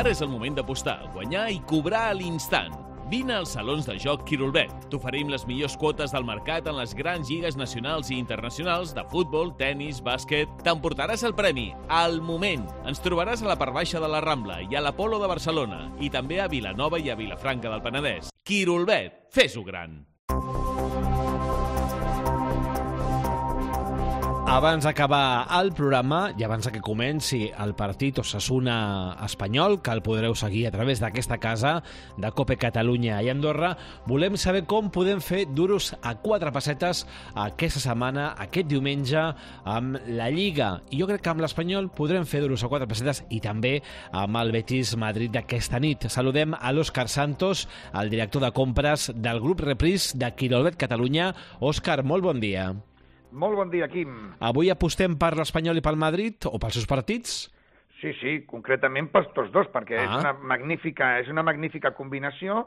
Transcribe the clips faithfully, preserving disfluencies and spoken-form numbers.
Ara és el moment d'apostar, guanyar i cobrar a l'instant. Vine als salons de joc Quirolbet. T'oferim les millors quotes del mercat en les grans lligues nacionals i internacionals de futbol, tennis, bàsquet. T'emportaràs el premi al moment. Ens trobaràs a la part baixa de la Rambla i a l'Apolo de Barcelona i també a Vilanova i a Vilafranca del Penedès. Quirolbet, fes-ho gran! Abans d'acabar el programa i abans que comenci el partit Osasuna espanyol, que el podreu seguir a través d'aquesta casa de Cope Catalunya i Andorra, volem saber com podem fer duros a quatre pessetes aquesta setmana, aquest diumenge, amb la Lliga. I jo crec que amb l'Espanyol podrem fer duros a quatre pessetes i també amb el Betis Madrid d'aquesta nit. Saludem a l'Òscar Santos, el director de compres del grup Reprise de Quirolbet Catalunya. Òscar, molt bon dia. Molt bon dia, Quim. Avui apostem per l'Espanyol i pel Madrid o pels seus partits? Sí, sí, concretament pels tots dos, perquè ah. és, una magnífica, és una magnífica combinació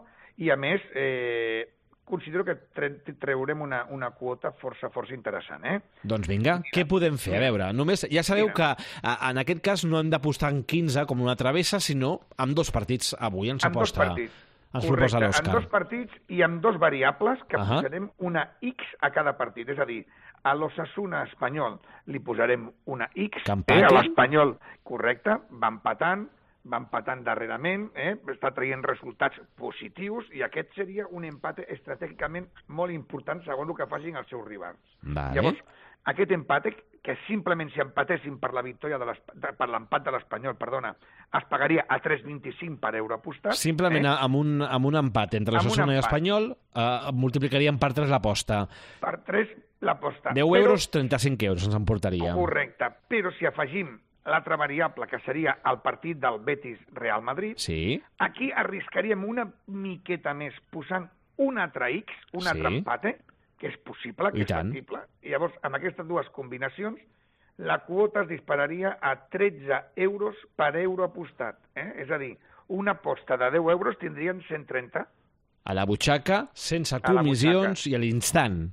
i, a més, eh, considero que tre treurem una, una quota força, força interessant. Eh? Doncs vinga, Mira. Què podem fer? A veure, només ja sabeu Mira. que en aquest cas no hem d'apostar en quinze com una travessa, sinó amb dos partits avui ens amb aposta. Dos partits. Ens Correcte, proposa l'Òscar. amb dos partits i amb dos variables que uh-huh. posarem una X a cada partit. És a dir, a l'Osasuna espanyol li posarem una X, eh, a l'Espanyol, correcte, va empatant, va empatant darrerament, eh, està traient resultats positius i aquest seria un empat estratègicament molt important segons el que facin els seus rivals. Vale. Llavors, aquest empat, que simplement si empatéssim per la victòria de per l'empat de l'Espanyol, perdona, es pagaria a tres coma vint-i-cinc per euro apostat. Simplement eh? amb, un, amb un empat entre l'Osasuna i l'Espanyol eh, multiplicaríem per tres l'aposta. Per tres l'aposta. deu euros, trenta-cinc euros ens emportaria. Correcte, però si afegim l'altra variable, que seria el partit del Betis-Real Madrid, sí. aquí arriscaríem una miqueta més posant un altre X, un altre sí. empat, eh? que és possible, que I és tant. factible. I llavors, amb aquestes dues combinacions, la quota es dispararia a tretze euros per euro apostat. Eh? És a dir, una aposta de deu euros tindrien cent trenta. A la butxaca, sense comissions i a l'instant.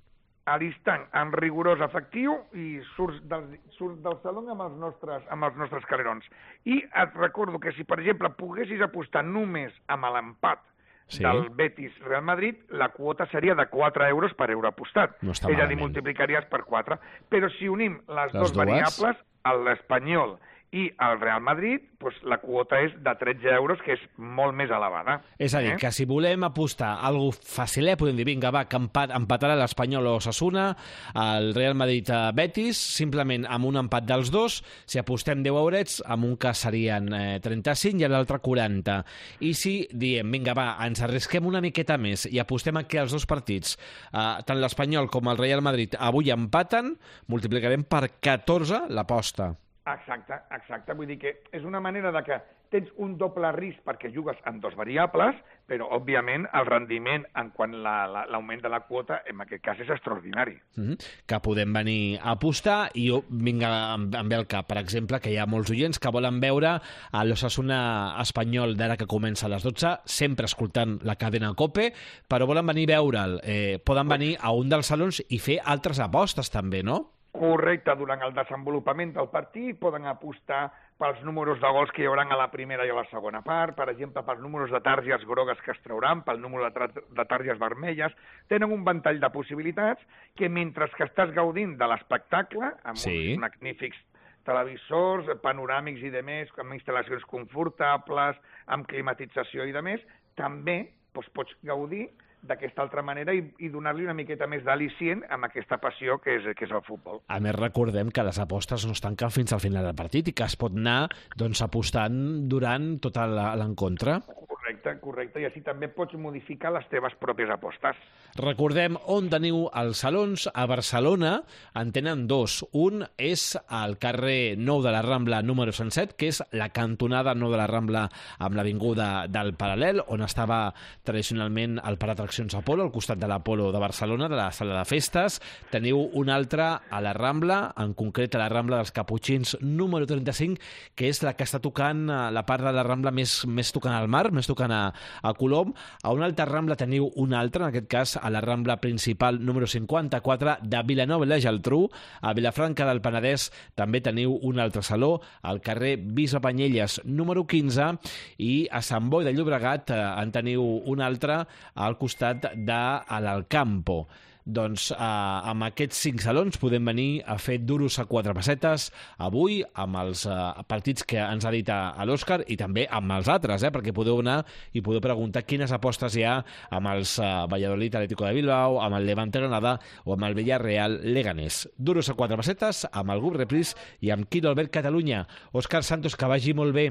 A l'instant, amb rigorós efectiu, i surts del, surts del saló amb els, nostres, amb els nostres calerons. I et recordo que si, per exemple, poguessis apostar només amb l'empat sí. del Betis-Real Madrid, la quota seria de quatre euros per euro apostat. No està és malament. a dir, multiplicaries per quatre. Però si unim les, les dues dues variables, l'Espanyol i el Real Madrid, doncs la quota és de tretze euros, que és molt més elevada. És a dir, eh? que si volem apostar algo facilet, podem dir, vinga, va, que empat, empatarà l'Espanyol o Osasuna, el Real Madrid a Betis, simplement amb un empat dels dos, si apostem deu eurets, amb un cas serien eh, trenta-cinc i l'altre quaranta. I si diem, vinga, va, ens arrisquem una miqueta més i apostem aquí als dos partits, eh, tant l'Espanyol com el Real Madrid avui empaten, multiplicarem per catorze l'aposta. Exacte, exacte. Vull dir que és una manera de que tens un doble risc perquè jugues amb dos variables, però, òbviament, el rendiment en quant a l'augment de la quota, en aquest cas, és extraordinari. Mm-hmm. Que podem venir a apostar i jo vinga em ve al cap, per exemple, que hi ha molts oients que volen veure a l'Osasuna espanyol d'ara que comença a les dotze, sempre escoltant la cadena COPE, però volen venir a veure'l. Eh, poden venir a un dels salons i fer altres apostes també, no? Correcte, durant el desenvolupament del partit poden apostar pels números de gols que hi haurà a la primera i a la segona part, per exemple, pels números de targes grogues que es trauran, pel número de, de targes vermelles. Tenen un ventall de possibilitats que, mentre que estàs gaudint de l'espectacle, amb sí. uns magnífics televisors, panoràmics i demés, amb instal·lacions confortables, amb climatització i demés, també doncs, pots gaudir d'aquesta altra manera i, i donar-li una miqueta més d'al·licient amb aquesta passió que és, que és el futbol. A més, recordem que les apostes no es tanquen fins al final del partit i que es pot anar doncs, apostant durant tot l'encontre. Correcte, correcte, i així també pots modificar les teves pròpies apostes. Recordem on teniu els salons. A Barcelona en tenen dos. Un és al carrer Nou de la Rambla número cent set, que és la cantonada Nou de la Rambla amb l'avinguda del Paral·lel, on estava tradicionalment el Parc d'Atraccions Apolo, al costat de l'Apolo de Barcelona, de la sala de festes. Teniu un altre a la Rambla, en concret a la Rambla dels Caputxins número trenta-cinc, que és la que està tocant la part de la Rambla més, més tocant al mar, més tocant setmana a Colom. A una altra Rambla teniu una altra, en aquest cas a la Rambla principal número cinquanta-quatre de Vilanova i la Geltrú. A Vilafranca del Penedès també teniu un altre saló, al carrer Bisbe Panyelles número quinze, i a Sant Boi de Llobregat eh, en teniu un altre al costat de l'Alcampo. Doncs eh, amb aquests cinc salons podem venir a fer duros a quatre pessetes avui amb els eh, partits que ens ha dit a, a l'Òscar i també amb els altres, eh, perquè podeu anar i podeu preguntar quines apostes hi ha amb els eh, Valladolid Atlético de Bilbao, amb el Levante Granada o amb el Villarreal Leganés. Duros a quatre pessetes amb el grup Repris i amb Quiro Albert Catalunya. Òscar Santos, que vagi molt bé.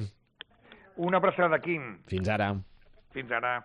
Una abraçada, Quim. Fins ara. Fins ara.